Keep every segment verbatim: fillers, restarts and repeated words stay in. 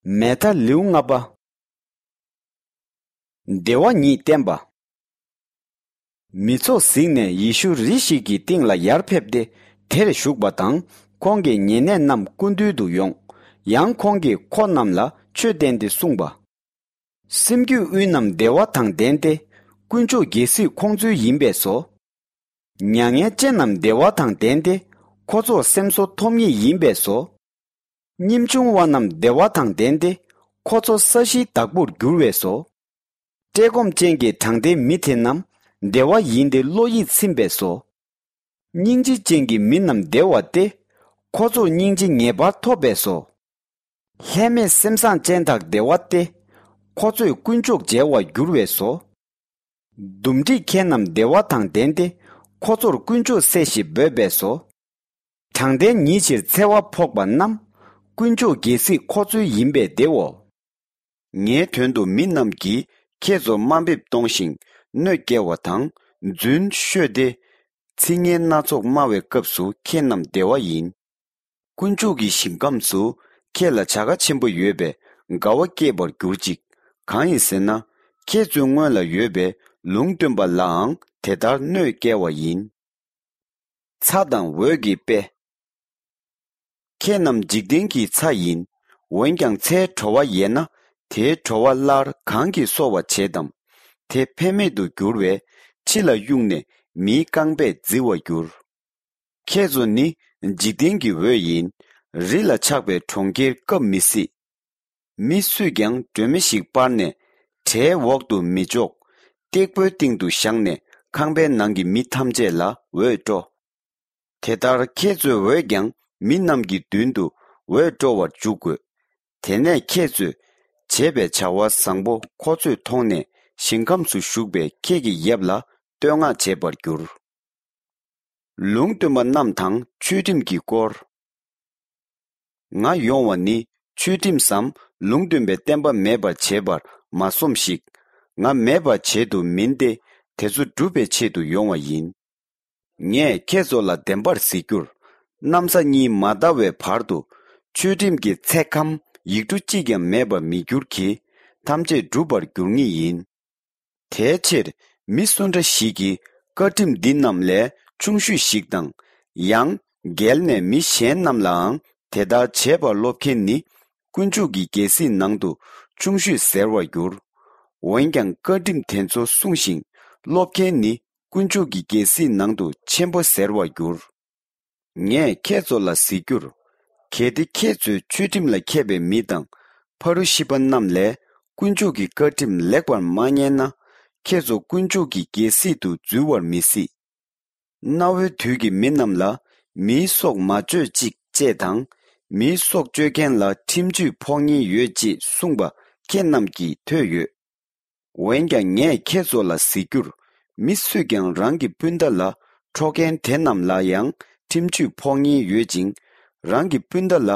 མེ་ཐ་ལེའུ་ལྔ་པ། བདེ་བ་ཉིད་བསྟན་པ། མི་ཚོགས་གཟིགས་ནས་ཡེ་ཤུ་རི་ཞིག་གི་སྟེང་ལ་ཡར་ཕེབས་ཏེ་དེར་བཞུགས་པ་དང་། ཁོང་གི་ཉེ་གནས་རྣམས་སྐུ་མདུན་དུ་ཡོང་། ཡང་ཁོང་གིས་ཁོ་རྣམས་ལ་ཆོས་བསྟན་ཏེ་གསུངས་པ། སེམས་རྒྱུད་དབུས་རྣམས་བདེ་བ་དང་ལྡན་ཏེ། དཀོན་མཆོག་རྒྱལ་སྲིད་ཁོང་ཚོའི་ཡིན་པས་སོ། མྱ་ངན་ཅན་རྣམས་བདེ་བ་དང་ལྡན་ཏེ། ཁོ་ཚོར་སེམས་གསོ་ཐོབ་ངེས་ཡིན་པས་སོ། སྙེམས་ཆུང་བ་རྣམས་བདེ་བ་དང་ལྡན་ཏེ། ཁོ་ཚོ་ས་གཞིའི་བདག་པོར་འགྱུར་བས་སོ། བཀྲེས་སྐོམ་ཅན་གྱི་དྲང་བདེན་མི་དེ་རྣམས་བདེ་བ་ཡིན་ཏེ་བློ་ཡིད་ཚིམ་པས་སོ། སྙིང་རྗེ་ཅན་གྱི་མི་རྣམས་བདེ་བ་སྟེ། ཁོ་ཚོར་སྙིང་རྗེ་ངེས་པར་ཐོབ་པས་སོ། ལྷད་མེད་སེམས་བཟང་ཅན་དག་བདེ་བ་སྟེ། ཁོ་ཚོས་དཀོན་མཆོག་མཇལ་བར་འགྱུར་བས་སོ། འདུམ་འགྲིག་མཁན་རྣམས་བདེ་བ་དང་ལྡན་ཏེ། ཁོ་ཚོར་དཀོན་མཆོག་སྲས་ཞེས་འབོད་པས་སོ། དྲང་བདེན་ཉིད་ཕྱིར་འཚེ་བ་ཕོག་པ་རྣམས། དཀོན་མཆོག་རྒྱལ་སྲིད་ཁོ་ཚོའི་ཡིན་པས་བདེའོ། ངའི་དོན་དུ་མི་རྣམས་ཀྱིས་ཁྱེད་ཚོར་དམའ་འབེབས་གཏོང་ཞིང་གནོད་སྐྱེལ་བ་དང་རྫུན་ཤོད་དེ། ཚིག་ངན་སྣ་ཚོགས་སྨྲ་བའི་སྐབས་སུ་ཁྱེད་རྣམས་བདེ་བ་ཡིན། དཀོན་མཆོག་གི་ཞིང་ཁམས་སུ་ཁྱེད་ལ་བྱ་དགའ་ཆེན་པོ་ཡོད་པས་དགའ་བ་སྐྱེད་པར་གྱུར་ཅིག། གང་ཡིན་ཟེར་ན། ཁྱེད་ཚོའི་སྔོན་ལ་ཡོད་པའི་ལུང་སྟོན་པ་ལའང་དེ་ལྟར་གནོད་སྐྱེལ་བ་ཡིན། ཚྭ་དང་འོད་ཀྱི་དཔེ། ཁྱེད་རྣམས་འཇིག་རྟེན་གྱི་ཚྭ་ཡིན། འོན་ཀྱང་ཚྭའི་བྲོ་བ་ཡལ་ན། དེའི་བྲོ་བ་སླར་གང་གིས་གསོ་བར་བྱེད་དམ། དེ་ཕན་མེད་དུ་འགྱུར་བས། ཕྱི་ལ་གཡུགས་ནས་མིའི་རྐང་པས་བརྫི་བར་འགྱུར། ཁྱེད་ཚོ་ནི་འཇིག་རྟེན་གྱི་འོད་ཡིན། རི་ལ་ཆགས་པའི་གྲོང་ཁྱེར་བཀབ་མི་སྲིད། མི་སུས་ཀྱང་སྒྲོན་མེ་ཞིག་སྤར་ནས་བྲེའི་འོག་ཏུ་མི་འཇོག། སྟེགས་བུའི་སྟེང་དུ་བཞག་ནས་ཁང་པའི་ནང་གི་མི་ཐམས་ཅད་ལ་འོད་སྤྲོ། དེ་ལྟར་ཁྱེད་ཚོའི་འོད་ཀྱང་མི་རྣམས་ཀྱི་མདུན་དུ་འོད་སྤྲོ་བར་འཇུག་དགོས། དེ་ནས་ཁྱེད་ཚོས་བྱས་པའི་བྱ་བ་བཟང་པོ་ཁོ་ཚོས་མཐོང་ནས་ཞིང་ཁམས་སུ་བཞུགས་པའི་ཁྱེད་ཀྱི་ཡབ་ལ་བསྟོད་བསྔགས་བྱེད་པར་འགྱུར། ལུང་སྟོན་པ་རྣམས་དང་ཆོས་ཁྲིམས་ཀྱི་སྐོར། ང་ཡོང་བ་ནི་ཆོས་ཁྲིམས་སམ་ལུང་སྟོན་པའི་བསྟན་པ་མེད་པར་བྱེད་པར་མ་སོམས་ཤིག། ང་མེད་པར་བྱེད་དུ་མིན་ཏེ། དེ་ཚོ་སྒྲུབ་པའི་ཆེད་དུ་ཡོང་བ་ཡིན། ངས་ཁྱེད་ཚོ་ལ་བདེན་པར་ཟེར་རྒྱུར། གནམ་ས་གཉིས་མ་འདའ་བའི་བར་དུ་ཆོས་ཁྲིམས་ཀྱི་ཚེག་ཁམ་ཡིག་འབྲུ་གཅིག་ཀྱང་མེད་པར་མི་འགྱུར་གྱི། ཐམས་ཅད་འགྲུབ་པར་འགྱུར་ངེས་ཡིན། དེའི་ཕྱིར་མི་སུ་འདྲ་ཞིག་གིས་བཀའ་ཁྲིམས་འདི་རྣམས་ལས་ཆུང་ཤོས་ཤིག་དང་། ཡང་འགལ་ནས་མི་གཞན་རྣམས་ལའང་དེ་ལྟར་བྱེད་པར་སློབ་མཁན་ནི་དཀོན་མཆོག་གི་རྒྱལ་སྲིད་ནང་དུ་ཆུང་ཤོས་ཟེར་བར་འགྱུར། འོན་ཀྱང་བཀའ་ཁྲིམས་དེ་ཚོ་སྲུང་ཞིང་སློབ་མཁན་ནི་དཀོན་མཆོག་གི་རྒྱལ་སྲིད་ནང་དུ་ཆེན་པོ་ཟེར་བར་འགྱུར། ངས་ཁྱེད་ཚོ་ལ་ཟེར་རྒྱུར། གལ་ཏེ་ཁྱེད་ཚོས་ཆོས་ཁྲིམས་ལ་མཁས་པའི་མི་དང་ཕ་རུ་ཤི་པ་རྣམས་ལས་དཀོན་མཆོག་གི་བཀའ་ཁྲིམས་ལེགས་པར་མ་ཉན་ན། ཁྱེད་ཚོ་དཀོན་མཆོག་གི་རྒྱལ་སྲིད་དུ་འཛུལ་བར་མི་སྲིད། གནའ་བོའི་དུས་ཀྱི་མི་རྣམས་ལ་མིའི་སྲོག་མ་གཅོད་ཅིག་ཅེས་དང་། མིའི་སྲོག་གཅོད་མཁན་ལ་ཁྲིམས་གཅོད་ཕོག་ཉེན་ཡོད་ཅེས་གསུངས་པ་ཁྱེད་རྣམས་ཀྱིས་ཐོས་ཡོད། འོན་ཀྱང་ངས་ཁྱེད་ཚོ་ལ་ཟེར་རྒྱུར། མི་སུས་ཀྱང་རང་གི་སྤུན་ཟླ་ལ་འཕྲོག་མཁན་དེ་རྣམས་ལ་ཡང་ཁྲིམས་གཅོད་ཕོག་ཉེན་ཡོད་ཅིང་། རང་གི་སྤུན་ཟླ་ལ་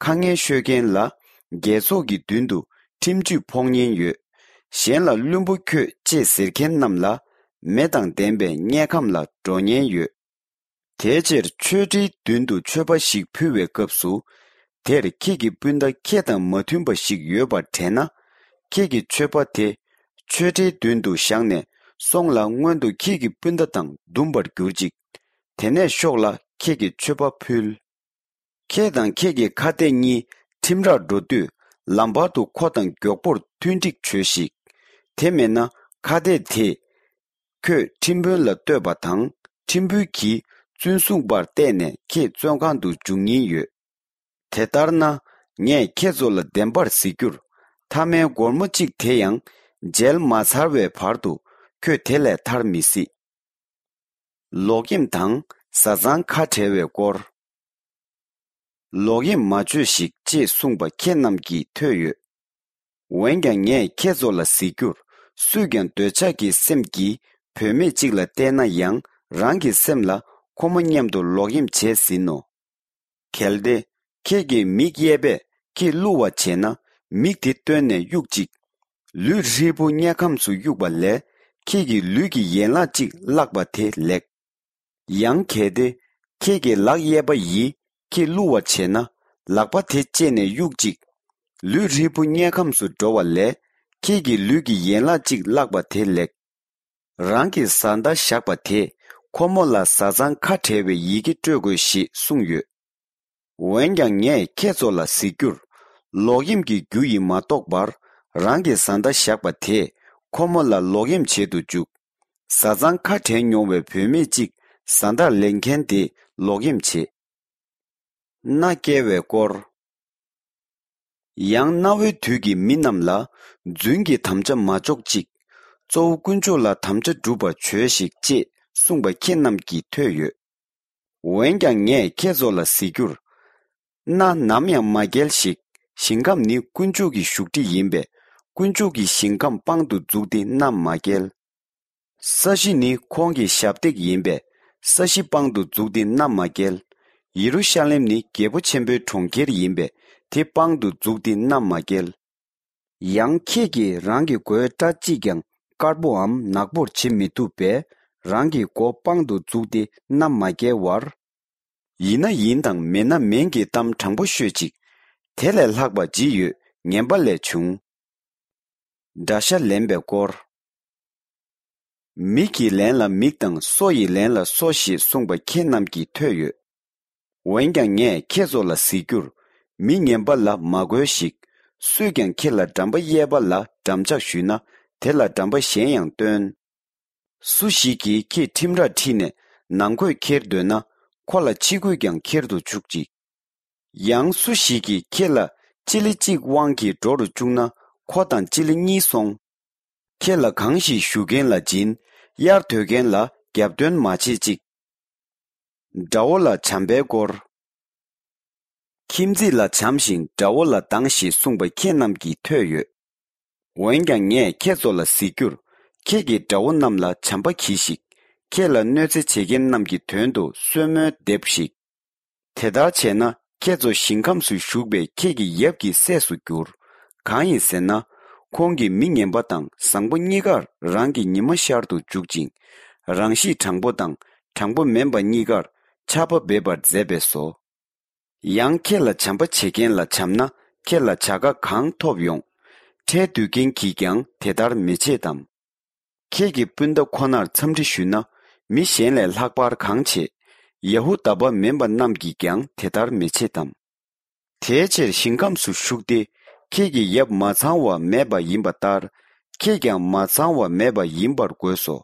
ཁ་ངན་ཤོད་མཁན་ལ་རྒྱལ་ཚོགས་ཀྱི་མདུན་དུ་ཁྲིམས་གཅོད་ཕོག་ཉེན་ཡོད། གཞན་ལ་བླུན་པོ་ཁྱོད་ཅེས་ཟེར་མཁན་རྣམས་ལ་མེ་དང་ལྡན་པའི་དམྱལ་ཁམས་ལ་འགྲོ་ཉེན་ཡོད། དེའི་ཕྱིར་ཆོས་ཁྲིའི་མདུན་དུ་མཆོད་པ་ཞིག་ཕུལ་བའི་སྐབས་སུ། དེར་ཁྱེད་ཀྱི་སྤུན་ཟླ་ཁྱེད་དང་མ་མཐུན་པ་ཞིག་ཡོད་པར་དྲན་ན། ཁྱེད་ཀྱི་མཆོད་པ་དེ་ཆོས་ཁྲིའི་མདུན་དུ་བཞག་ནས་སོང་ལ། སྔོན་དུ་ཁྱེད་ཀྱི་སྤུན་ཟླ་དང་འདུམ་པར་གྱུར་ཅིག། དེ་ནས་ཤོག་ལ་ཁྱེད་ཀྱི་མཆོད་པ་ཕུལ། ཁྱེད་དང་ཁྱེད་ཀྱི་ཁ་གཏད་གཉིས་ཁྲིམས་རར་འགྲོ་དུས། ལམ་བར་དུ་ཁོ་དང་མགྱོགས་པོར་མཐུན་འགྲིག་བྱོས་ཤིག། དེ་མེད་ན་ཁ་གཏད་དེས་ཁྱོད་ཁྲིམས་དཔོན་ལ་གཏོད་པ་དང་། ཁྲིམས་དཔོན་གྱིས་བཙོན་སྲུང་པར་གཏད་ནས་ཁྱེད་བཙོན་ཁང་དུ་འཇུག་ཉེན་ཡོད། དེ་ལྟར་ན། ངས་ཁྱེད་ཚོ་ལ་བདེན་པར་ཟེར་རྒྱུར། མཐའ་མའི་སྒོར་མོ་གཅིག་དེ་ཡང་འཇལ་མ་ཚར་བའི་བར་དུ་ཁྱོད་དེ་ལས་ཐར་མི་སྲིད། ལོག་གཡེམ་དང་བཟའ་ཚང་ཁ་བྲལ་བའི་སྐོར། ལོག་གཡེམ་མ་བྱོས་ཤིག་ཅེས་གསུངས་པ་ཁྱེད་རྣམས་ཀྱིས་ཐོས་ཡོད། འོན་ཀྱང་ངས་ཁྱེད་ཚོ་ལ་ཟེར་རྒྱུར། སུས་ཀྱང་འདོད་ཆགས་ཀྱི་སེམས་ཀྱིས་བུད་མེད་ཅིག་ལ་བལྟས་ན་ཡང་། རང་གི་སེམས་ལ་ཁོ་མོ་མཉམ་དུ་ལོག་གཡེམ་བྱས་ཟིན་ནོ། གལ་ཏེ་ཁྱེད་ཀྱི་མིག་གཡས་པས་ཁྱེད་བསླུ་བར་བྱེད་ན། མིག་དེ་བཏོན་ནས་གཡུག་ཅིག། ལུས་ཧྲིལ་པོ་དམྱལ་ཁམས་སུ་གཡུག་པ་ལས། ཁྱེད་ཀྱི་ལུས་ཀྱི་ཡན་ལག་གཅིག་བརླག་པ་དེ་ལེགས། ཡང་གལ་ཏེ་ཁྱེད་ཀྱི་ལག་གཡས་པ་ཡིས་ཁྱེད་བསླུ་བར་བྱེད་ན། ལག་པ་དེ་བཅད་ནས་གཡུག་ཅིག། ལུས་ཧྲིལ་པོ་དམྱལ་ཁམས་སུ་འགྲོ་བ་ལས། ཁྱེད་ཀྱིས་ལུས་ཀྱི་ཡན་ལག་གཅིག་བརླགས་པ་དེ་ལེགས། རང་གི་བཟའ་ཟླ་བཞག་པ་དེས་ཁོ་མོ་ལ་བཟའ་ཚང་ཁ་བྲལ་བའི་ཡི་གེ་སྤྲོད་དགོས་ཞེས་གསུངས་ཡོད། འོན་ཀྱང་ངས་ཁྱེད་ཚོ་ལ་ཟེར་རྒྱུར། ལོག་གཡེམ་གྱི་རྒྱུ་ཡིས་མ་རྟོགས་པར་རང་གི་བཟའ་ཟླ་བཞག་པ་དེས་ཁོ་མོ་ལ་ལོག་གཡེམ་བྱེད་དུ་འཇུག། བཟའ་ཚང་ཁ་བྲལ་མྱོང་བའི་བུད་མེད་ཅིག་བཟའ་ཟླར་ལེན་མཁན་དེས་ལོག་གཡེམ་བྱེད། མནའ་བསྐྱལ་བའི་སྐོར། ཡང་གནའ་བོའི་དུས་ཀྱི་མི་རྣམས་ལ། རྫུན་གྱི་དམ་བཅའ་མ་འཇོག་ཅིག། གཙོ་བོ་དཀོན་མཆོག་ལ་དམ་བཅའ་སྒྲུབ་པར་བྱོས་ཤིག་ཅེས་གསུངས་པ་ཁྱེད་རྣམས་ཀྱིས་ཐོས་ཡོད། འོན་ཀྱང་ངས་ཁྱེད་ཚོ་ལ་ཟེར་རྒྱུར། མནའ་ནམ་ཡང་མ་བསྐྱལ་ཞིག། ཞིང་ཁམས་ནི་དཀོན་མཆོག་གི་བཞུགས་ཁྲི་ཡིན་པས། དཀོན་མཆོག་གི་ཞིང་ཁམས་དཔང་དུ་བཙུགས་ཏེ་མནའ་མ་བསྐྱལ། ས་གཞི་ནི་ཁོང་གི་ཞབས་སྟེགས་ཡིན་པས། ས་གཞི་དཔང་དུ་བཙུགས་ཏེ་མནའ་མ་བསྐྱལ། ཡེ་རུ་ཤ་ལེམ་ནི་རྒྱལ་པོ་ཆེན་པོའི་གྲོང་ཁྱེར་ཡིན་པས། དེ་དཔང་དུ་བཙུགས་ཏེ་མནའ་མ་བསྐྱལ། ཡང་ཁྱེད་ཀྱིས་རང་གི་མགོའི་སྐྲ་གཅིག་ཀྱང་དཀར་པོའམ་ནག་པོར་བྱེད་མི་ཐུབ་པས། རང་གི་མགོ་དཔང་དུ་བཙུགས་ཏེ་མནའ་མ་བསྐྱལ་བར། ཡིན་ན་ཡིན་དང་མིན་ན་མིན་གྱི་གཏམ་དྲང་པོ་ཤོད་ཅིག། དེ་ལས་ལྷག་པ་ཅི་ཡོད། ངན་པ་ལས་བྱུང་། དགྲ་ཤ་ལེན་པའི་སྐོར། མིག་གི་ལན་ལ་མིག་དང་སོ་ཡི་ལན་ལ་སོ་ཞེས་གསུངས་པ་ཁྱེད་རྣམས་ཀྱིས་ཐོས་ཡོད། འོན་ཀྱང་ངས་ཁྱེད་ཚོ་ལ་ཟེར་རྒྱུར། མི་ངན་པ་ལ་མ་རྒོལ་ཞིག། སུས་ཀྱང་ཁྱེད་ལ་འགྲམ་པ་གཡས་པ་ལ་འགྲམ་ལྕག་གཞུས་ན། དེ་ལ་འགྲམ་པ་གཞན་ཡང་སྟོན། སུ་ཞིག་གིས་ཁྱེད་ཁྲིམས་རར་ཁྲིད་ནས་ནང་གོས་འཁྱེར་འདོད་ན། ཁོ་ལ་ཕྱི་གོས་ཀྱང་འཁྱེར་དུ་བཅུག་ཅིག། ཡང་སུ་ཞིག་གིས་ཁྱེད་ལ་སྤྱི་ལེ་གཅིག་དབང་གིས་འགྲོ་རུ་བཅུག་ན། ཁོ་དང་སྤྱི་ལེ་གཉིས་སོང་། ཁྱེད་ལ་གང་ཞིག་ཞུ་མཁན་ལ་སྦྱིན། གཡར་འདོད་མཁན་ལ་རྒྱབ་སྟོན་མ་བྱེད་ཅིག། དགྲ་བོ་ལ་བྱམས་པའི་སྐོར། ཁྱིམ་མཚེས་ལ་བྱམས་ཤིང་དགྲ་བོ་ལ་སྡང་ཞེས་གསུངས་པ་ཁྱེད་རྣམས་ཀྱིས་ཐོས་ཡོད། འོན་ཀྱང་ངས་ཁྱེད་ཚོ་ལ་ཟེར་རྒྱུར། ཁྱེད་ཀྱི་དགྲ་བོ་རྣམས་ལ་བྱམས་པ་གྱིས་ཤིག། ཁྱེད་ལ་གནོད་འཚེ་བྱེད་མཁན་རྣམས་ཀྱི་དོན་དུ་གསོལ་སྨོན་འདེབས་ཤིག། དེ་ལྟར་བྱས་ན་ཁྱེད་ཚོ་ཞིང་ཁམས་སུ་བཞུགས་པའི་ཁྱེད་ཀྱི་ཡབ་ཀྱི་སྲས་སུ་འགྱུར། གང་ཡིན་ཟེར་ན། ཁོང་གིས་མི་ངན་པ་དང་བཟང་པོ་གཉིས་ཀར་རང་གི་ཉི་མ་ཤར་དུ་འཇུག་ཅིང་། རང་གཤིས་དྲང་པོ་དང་དྲང་པོ་མིན་པ་གཉིས་ཀར་ཆར་པ་འབེབས་པར་མཛད་པས་སོ། ཡང་ཁྱེད་ལ་བྱམས་པ་བྱེད་མཁན་ལ་བྱམས་ན་ཁྱེད་ལ་བྱ་དགའ་གང་ཐོབ་ཡོང་། ཁྲལ་བསྡུ་མཁན་གྱིས་ཀྱང་དེ་ལྟར་མི་བྱེད་དམ། ཁྱེད་ཀྱི་སྤུན་ཟླ་ཁོ་ནར་འཚམས་འདྲི་ཞུས་ན། མི་གཞན་ལས་ལྷག་པར་གང་བྱེད། ཡ་ཧུ་དཱ་པ་མིན་པ་རྣམས་ཀྱིས་ཀྱང་དེ་ལྟར་མི་བྱེད་དམ། དེའི་ཕྱིར་ཞིང་ཁམས་སུ་བཞུགས་ཏེ། ཁྱེད་ཀྱི་ཡབ་མ་ཚང་བ་མེད་པ་ཡིན་པ་ལྟར། ཁྱེད་ཀྱང་མ་ཚང་བ་མེད་པ་ཡིན་པར་དགོས་སོ།